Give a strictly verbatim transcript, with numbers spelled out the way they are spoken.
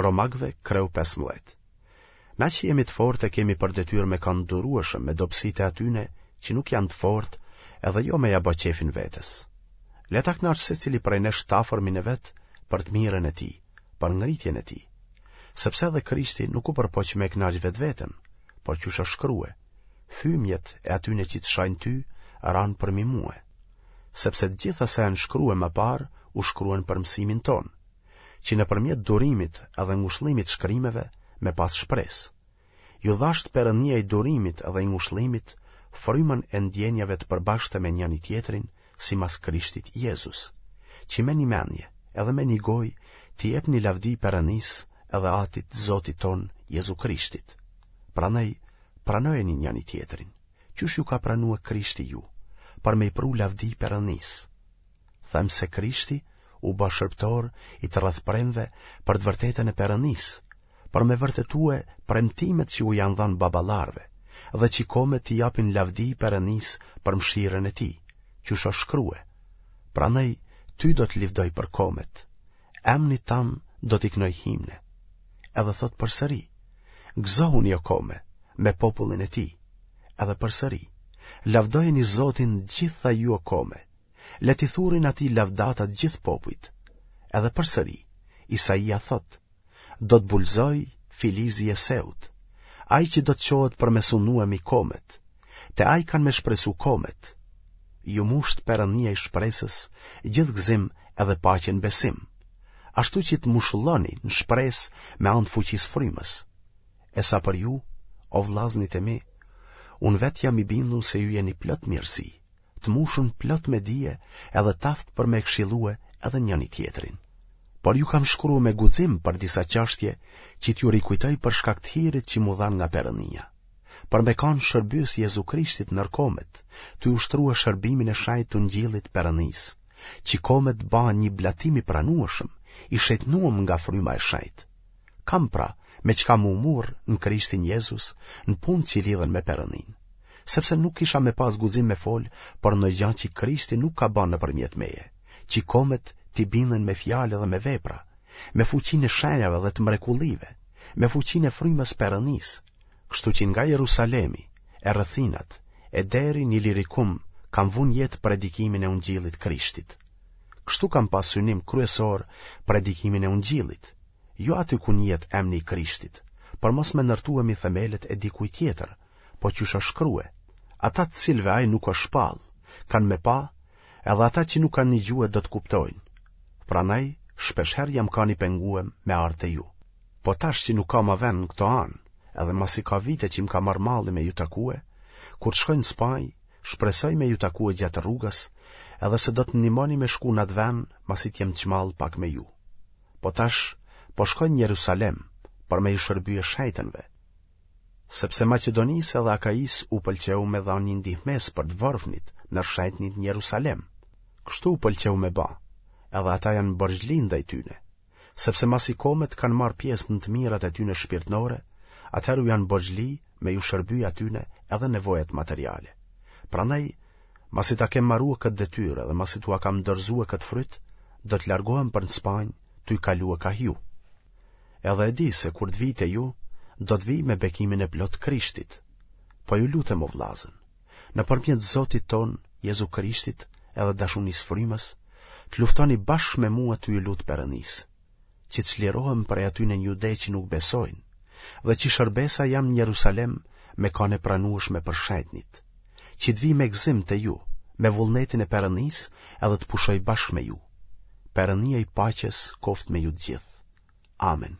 Romakëve kreu pesëmbëdhjetë. Na që jemi të fortë e kemi për detyrë me kanë të durueshëm me dobësitë e atyne që nuk janë të fortë edhe jo me ja ba qefin vetes. Le ta kënaqë secili prej nesh t'afërmin e vet për të mirën e tij, për ngritjen e tij. Sepse edhe Krishti nuk u përpoq me e kënaq vetveten, por qysh është shkrue, Fymjet e atyne që të shajnë ty ranë përmi mue. Sepse të gjitha sa janë shkrue më parë u shkruen për mësimin tonë, që nëpërmjet durimit edhe ngushllimit shkrimeve me pas shpresë. Ju dhashtë Perënia i durimit edhe i ngushllimit frymën e ndjenjave të përbashkëta me njëni-tjetrin simas Krishtit Jezus, që me një mendje edhe me një gojë t'i jepni lavdi Perënisë edhe Atit të Zotit tonë Jezu Krishtit. Prandaj pranojeni njëni-tjetrin, qysh ju ka pranue Krishti ju, për me i pru lavdi Perënisë. Them se Krishti u bë shërbëtor i të rrethpremve për të vërtetën e Perënisë, për me vërtetue premtimet që u janë dhënë baballarëve, dhe që komet t'i japin lavdi Perënisë për mëshirën e tij, qysh është shkrue. Prandaj ty do të livdoj për komet, emnit tam do t'i knoj himne. Edhe thotë përsëri, gëzohuni o kome, me popullin e tij. Edhe përsëri, lavdojeni Zotin gjitha ju o kome, Le t'i thurin atij lavdata të gjithë popujt. Edhe përsëri, Isaia thotë, do të bulëzojë filizi i Jeseut, ai që do të çohet për me sundue mi komet, te ai kanë me shpresu komet. Ju mushtë Perënia i shpresës, gjithë gëzim edhe paqe në besim, ashtu që të mushulloni në shpresë me anë të fuqisë frymës. E sa për ju, o vllaznit e mi, unë vetë jam i bindun se ju jeni plot mirësi, të mushun plot me dije edhe t'aftë për me këshillue edhe njëni-tjetrin. Por ju kam shkrue me guxim për disa çështje që t'ju rikujtoj për shkak të hirit që m'u dha nga Perënia, për me kanë shërbyes i Jezu Krishtit nër komet, tu ushtrue shërbimin e shenjtë të Ungjillit Perënisë, që komet bahen një blatim i pranueshëm, i shenjtnuem nga fryma e shenjtë. Kam pra, me çka m'u murr në Krishtin Jezus në punë që lidhen me Perëninë. Sepse nuk kisha me pas guxim me fol për ndonjë gja që Krishti nuk ka ba nëpërmjet meje, që komet t'i binden me fjalë edhe me vepra, me fuqinë e shenjave dhe të mrekullive, me fuqinë e frymës Perënisë, kështu që nga Jerusalemi e rrethinat e deri në Ilirikum kam vu n'jetë predikimin e Ungjillit Krishtit. Kështu kam pas synim kryesor predikimin e Ungjillit, jo aty ku njihet emni i Krishtit, për mos me ndërtue mi themelet e dikujt tjetër, po qysh është shkrue, ata të cilëve ai nuk është shpall, kanë me pa, edhe ata që nuk kanë nigjue do të kuptojnë. Prandaj, shpeshherë jam kanë i penguem me ardhë te ju. Po tash që nuk ka ma vend në këto anë, edhe masi ka vite që më ka marrë malli me ju takue, kur të shkoj në Spanjë, shpresoj me ju takue gjatë rrugës, edhe se do të ndihmoni me shku në atë vend, masi të jem çmall pak me ju. Po tash, po shkoj në Jerusalem, për me ju shërbye shejtënve, sepse Maqedonisë edhe Akaisë u pëlqeu me dhanë një ndihmesë për të vorfnit nër shejtnit në Jerusalem. Kështu u pëlqeu me ba, edhe ata janë borxhli ndaj tyne, sepse masi komet kanë marrë pjesë në të mirat e tyne shpirtnore, atëherë u janë borxhli me ju shërby atyne edhe nevojat materiale. Prandaj, masi ta kem marue këtë detyrë dhe masi t'ua kam dorëzue këtë fryt, do të largohem për në Spanjë, tuj kalue kah ju. Edhe e di se kur të vij te ju, do të vij me bekimin e plotë Krishtit. Po ju lutem o vllazën, nëpërmjet Zotit tonë Jezu Krishtit edhe dashunisë frymës, të luftoni bashkë me mua tu ju lutë Perënisë, që të çlirohem prej atyne në Jude që nuk besojnë, dhe që shërbesa jem në Jerusalem me kanë e pranueshme për shejtnit, që të vij me gëzim te ju, me vullnetin e Perënisë edhe të pushoj bashkë me ju. Perënia i paqes koftë me ju të gjithë. Amen.